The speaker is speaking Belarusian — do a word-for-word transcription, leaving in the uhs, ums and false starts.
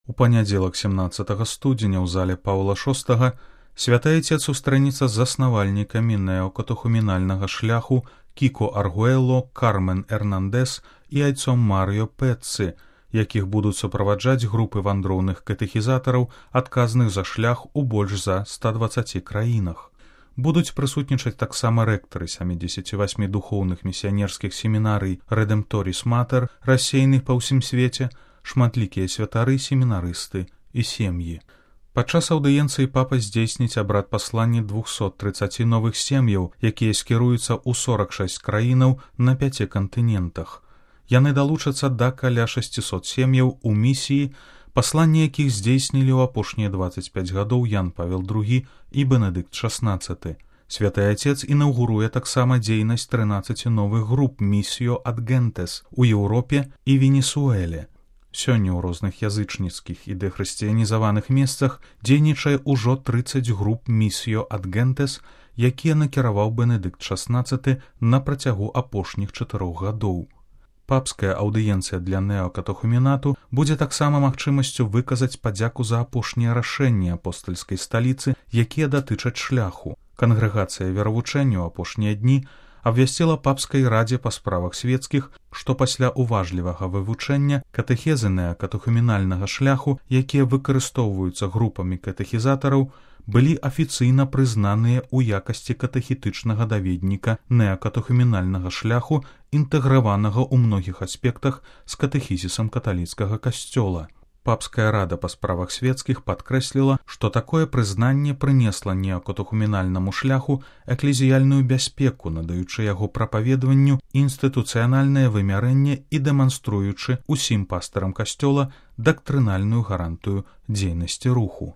У панядзелак семнаццатага студзеня ў зале Паўла шостага святы Айцец сустрэнецца з заснавальнікамі неокатехумінальнага шляху Кіко Аргуэло, Кармен Эрнандес і айцом Марыё Пэццы, якіх будуць суправаджаць групы вандроўных катэхізатараў, адказных за шлях у больш за ста дваццаці краінах. Будуць прысутнічаць таксама рэктары сямідзесяці васьмі духоўных місіянерскіх семінарый Рэдэмпторіс Матэр, рассеяных па ўсім свеце, шматлікія святары, семінарысты і сем'і. Падчас аўдыенцыі папа здзейсніць абрад паслання двухсот трыццаці новых сем'яў, якія скіруюцца ў сорак шэсць краінаў на пяці кантынентах. Яны далучацца да каля шасцісот сем'яў у місіі, пасланне якіх здзейснілі ў апошнія дваццаць пяць гадоў Ян Павел другі і Бенедыкт шаснаццаты. Святы Айцец інаўгуруе таксама дзейнасць трынаццаці новых груп Місіё ад Гентес у Еўропе і Венесуэле. Сёння ў розных язычніцкіх і дэхрысціянізаваных месцах дзейнічае ўжо трыццаць груп Місіё ад Гентес, якія накіраваў Бенедыкт шаснаццаты на працягу апошніх чатырох гадоў. Папская аўдыенцыя для неокатехумінату будзе таксама магчымасцю выказаць падзяку за апошнія рашэнні апостальскай сталіцы, якія датычаць шляху. Кангрэгацыя веравучэння ў апошнія дні абвясціла папскай радзе па справах свецкіх, што пасля уважлівага вывучэння катэхезы неокатехумінальнага шляху, якія выкарыстоўваюцца групамі катэхізатараў, былі афіцыйна прызнаныя ў якасці катэхетычнага даведніка неокатехумінальнага шляху, інтэграванага ў многіх аспектах з катэхізісам каталіцкага касцёла. Папская рада па справах свецкіх падкрэсліла, што такое прызнанне прынесла неокатехумінальнаму шляху эклезіяльную бяспеку, надаючы яго прапаведванню інстытуцыянальнае вымярэнне і дэманструючы ўсім пастарам касцёла дактрынальную гарантыю дзейнасці руху.